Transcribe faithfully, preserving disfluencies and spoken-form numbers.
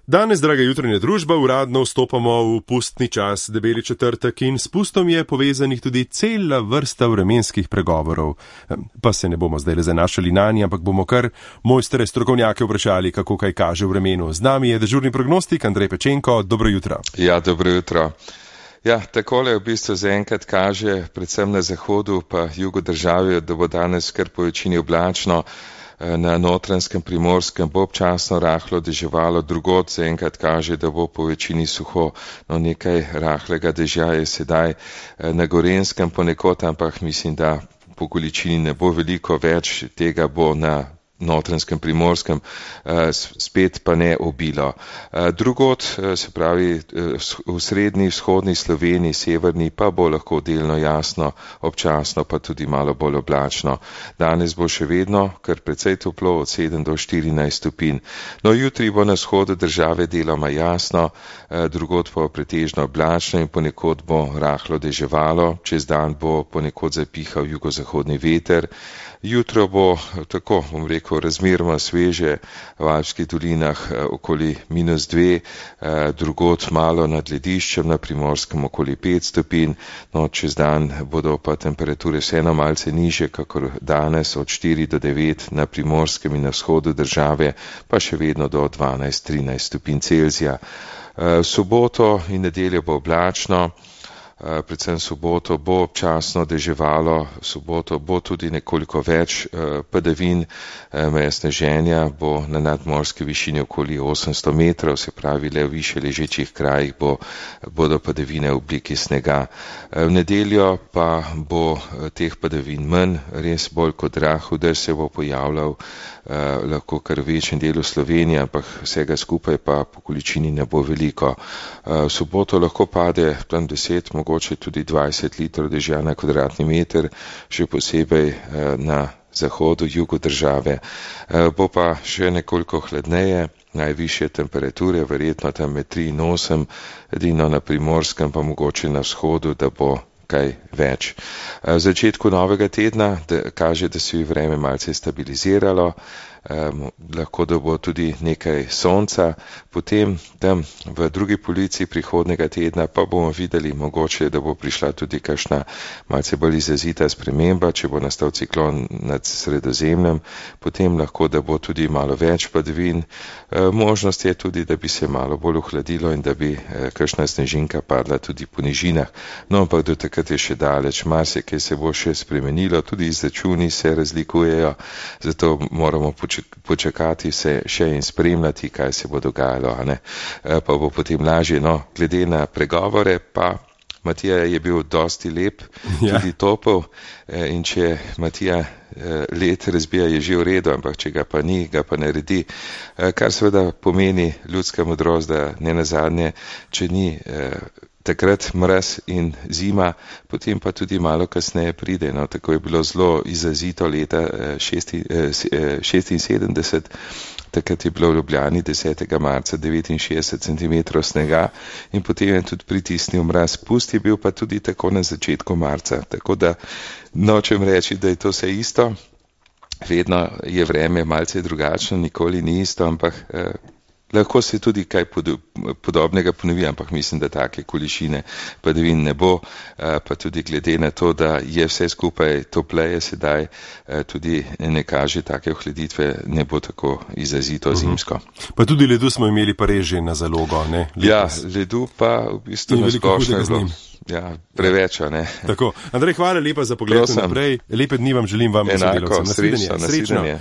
Danes, draga jutranja družba, uradno vstopamo v pustni čas, debeli četrtek, in s pustom je povezanih tudi cela vrsta vremenskih pregovorov. Pa se ne bomo zdaj le zanašali nanje, ampak bomo kar mojstre strokovnjake vprašali, kako kaj kaže v vremenu. Z nami je dežurni prognostik Andrej Pečenko. Dobro jutro. Ja, dobro jutro. Ja, takole v bistvu zaenkrat kaže, predvsem na zahodu pa jugu države, da bo danes kar po večini oblačno. Na Notranjskem, Primorskem bo občasno rahlo deževalo, drugod zaenkrat kaže, da bo po večini suho, no nekaj rahlega dežja je sedaj na Gorenjskem ponekod, ampak mislim, da po količini ne bo veliko več, tega bo na Notranjskem, Primorskem, spet pa ne obilo. Drugod, se pravi v srednji, vzhodni Sloveniji, severni, pa bo lahko delno jasno, občasno pa tudi malo bolj oblačno. Danes bo še vedno kar precej toplo, od sedem do štirinajst stopinj. No, jutri bo na vzhodu države deloma jasno, drugod pa pretežno oblačno in ponekod bo rahlo deževalo, čez dan bo ponekod zapihal jugozahodni veter. Jutro bo tako, bom rekel, razmeroma sveže, v Alpskih dolinah okoli minus dve, drugod malo nad lediščem, na Primorskem okoli pet stopinj, no čez dan bodo pa temperature vseeno malce niže, kakor danes, od štiri do devet na Primorskem in na vzhodu države, pa še vedno do dvanajst trinajst stopinj Celzija. V soboto in nedeljo bo oblačno. Predvsem soboto bo občasno deževalo, soboto bo tudi nekoliko več padavin, meja sneženja bo na nadmorski višini okoli osemsto metrov, se pravi le v više ležečih krajih bo, bodo padavine v obliki snega. V nedeljo pa bo teh padavin manj, res bolj kot rahel dež se bo pojavljal, lahko kar v večjem delu Slovenije, ampak vsega skupaj pa po količini ne bo veliko. V soboto lahko pade tam deset, mogoče tudi dvajset litrov dežja na kvadratni meter, še posebej na zahodu, jugu države. Bo pa še nekoliko hladneje, najvišje temperature, verjetno tam med tri in osem, edino na Primorskem pa mogoče na vzhodu, da bo kaj več. V začetku novega tedna da, kaže, da se je vreme malce stabiliziralo, Um, lahko da bo tudi nekaj sonca, potem tam v drugi polovici prihodnega tedna pa bomo videli mogoče, da bo prišla tudi kakšna malce bolj izrazita sprememba, če bo nastal ciklon nad Sredozemljem, potem lahko da bo tudi malo več padavin. E, možnost je tudi, da bi se malo bolj ohladilo in da bi e, kakšna snežinka padla tudi po nižinah. No, ampak do takrat je še daleč, marsikaj se bo še spremenilo, tudi izračuni se razlikujejo, zato moramo počakati počakati se še in spremljati, kaj se bo dogajalo, a ne? Pa bo potem lažje. No, glede na pregovore pa Matija je bil dosti lep, ja. Tudi topel, in če Matija let razbija, je že v redu, ampak če ga pa ni, ga pa naredi, kar seveda pomeni ljudska modrost, da ne nazadnje, če ni takrat mraz in zima, potem pa tudi malo kasneje pride. No, tako je bilo zelo izrazito leta šestinsedemdeset, takrat je bilo v Ljubljani desetega marca devetinšestdeset centimetrov snega in potem je tudi pritisnil mraz. Pust je bil pa tudi tako na začetku marca, tako da nočem reči, da je to vse isto, vedno je vreme malce drugačno, nikoli ni isto, ampak eh, lahko se tudi kaj podobnega ponovi, ampak mislim, da take količine padavin ne bo, pa tudi glede na to, da je vse skupaj topleje sedaj, tudi ne kaže take ohladitve, ne bo tako izrazito zimsko. Pa tudi ledu smo imeli pa res že na zalogo, ne? Letos. Ja, ledu pa v bistvu na splošno je bilo. Ja, preveč, ne. Tako. Andrej, hvala lepa za pogled naprej. Lepe dni vam želim, vam in sodelavcem. Enako, srečno, nasvidenje.